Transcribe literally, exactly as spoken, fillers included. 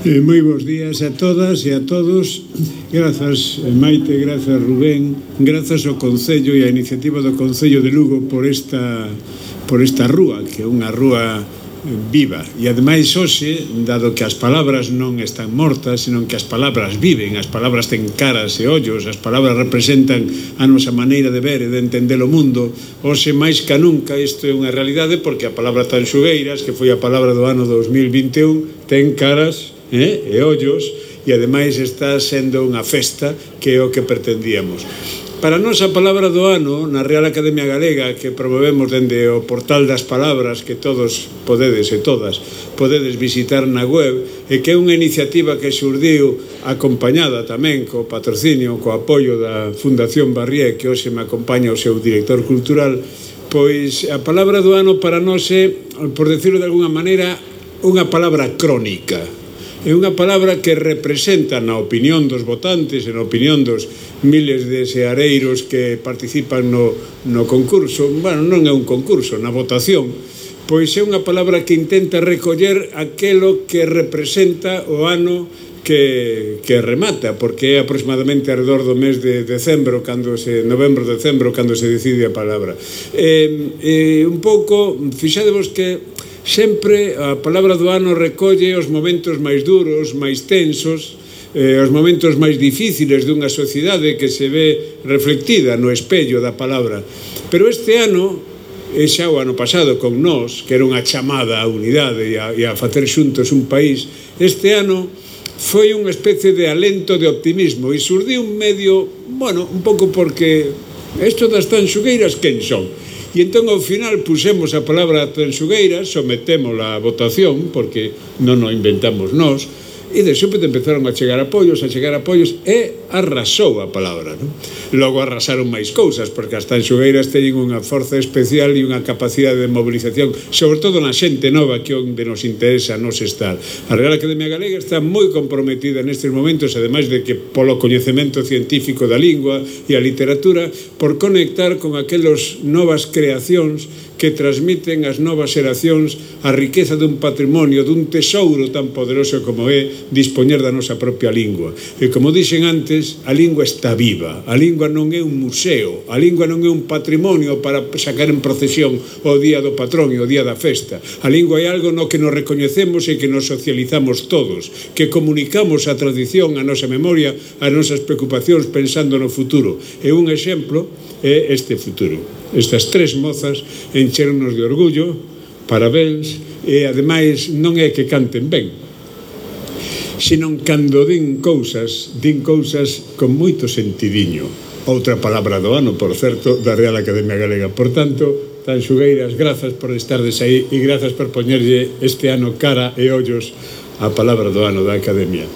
Eh, moi bons días a todas e a todos. Grazas, Maite, grazas, Rubén, grazas ao Concello e a iniciativa do Concello de Lugo por esta, por esta rúa, que é unha rúa viva. E ademais hoxe, dado que as palabras non están mortas, senón que as palabras viven, as palabras ten caras e ollos, as palabras representan a nosa maneira de ver e de entender o mundo, hoxe máis que nunca isto é unha realidade, porque a palabra Tanxugueiras, que foi a palabra do ano dos mil vinte e un, ten caras eh, e ollos, e ademais está sendo unha festa que é o que pretendíamos. Para nós a palabra do ano na Real Academia Galega, que promovemos dende o portal das palabras, que todos podedes e todas podedes visitar na web, e que é unha iniciativa que xurdiu acompañada tamén co patrocinio, co apoio da Fundación Barrié, que hoxe me acompaña o seu director cultural. Pois a palabra do ano para nós é, por decirlo de alguna maneira, unha palabra crónica. É unha palabra que representa, na opinión dos votantes e na opinión dos miles de seareiros que participan no, no concurso, bueno, non é un concurso, na votación, pois é unha palabra que intenta recoller aquelo que representa o ano que, que remata, porque é aproximadamente alrededor do mes de decembro, cando se, novembro, decembro, cando se decide a palabra. E, e un pouco, fixadevos que sempre a palabra do ano recolle os momentos máis duros, máis tensos, eh, os momentos máis difíciles dunha sociedade que se ve reflectida no espello da palabra. Pero este ano, e xa o ano pasado con nós, que era unha chamada á unidade e a, e a facer xuntos un país, este ano foi unha especie de alento de optimismo e surdiu un medio, bueno, un pouco porque isto das Tanxugueiras, quen son? E entón ao final pusemos a palabra Tanxugueiras, sometémola a votación, porque non o inventamos nós, e de súpeto empezaron a chegar apoios, a chegar apoios, e arrasou a palabra, non? Logo arrasaron máis cousas, porque as Tanxugueiras teñen unha forza especial e unha capacidade de mobilización, sobre todo na xente nova, que onde nos interesa nos estar. A Real Academia Galega está moi comprometida nestes momentos, ademais de que polo coñecemento científico da lingua e a literatura, por conectar con aquelas novas creacións que transmiten as novas xeracións a riqueza dun patrimonio, dun tesouro tan poderoso como é dispoñer da nosa propia lingua. E como dixen antes, a lingua está viva, a lingua non é un museo, a lingua non é un patrimonio para sacar en procesión o día do patrón e o día da festa. A lingua é algo no que nos recoñecemos e que nos socializamos todos, que comunicamos a tradición, a nosa memoria, as nosas preocupacións pensando no futuro. E un exemplo é este futuro. Estas tres mozas encheronos de orgullo, parabéns, e ademais non é que canten ben, senón cando din cousas, din cousas con moito sentidiño. Outra palabra do ano, por certo, da Real Academia Galega. Por tanto, Tanxugueiras, grazas por estardes aí e grazas por poñerlle este ano cara e ollos á palabra do ano da Academia.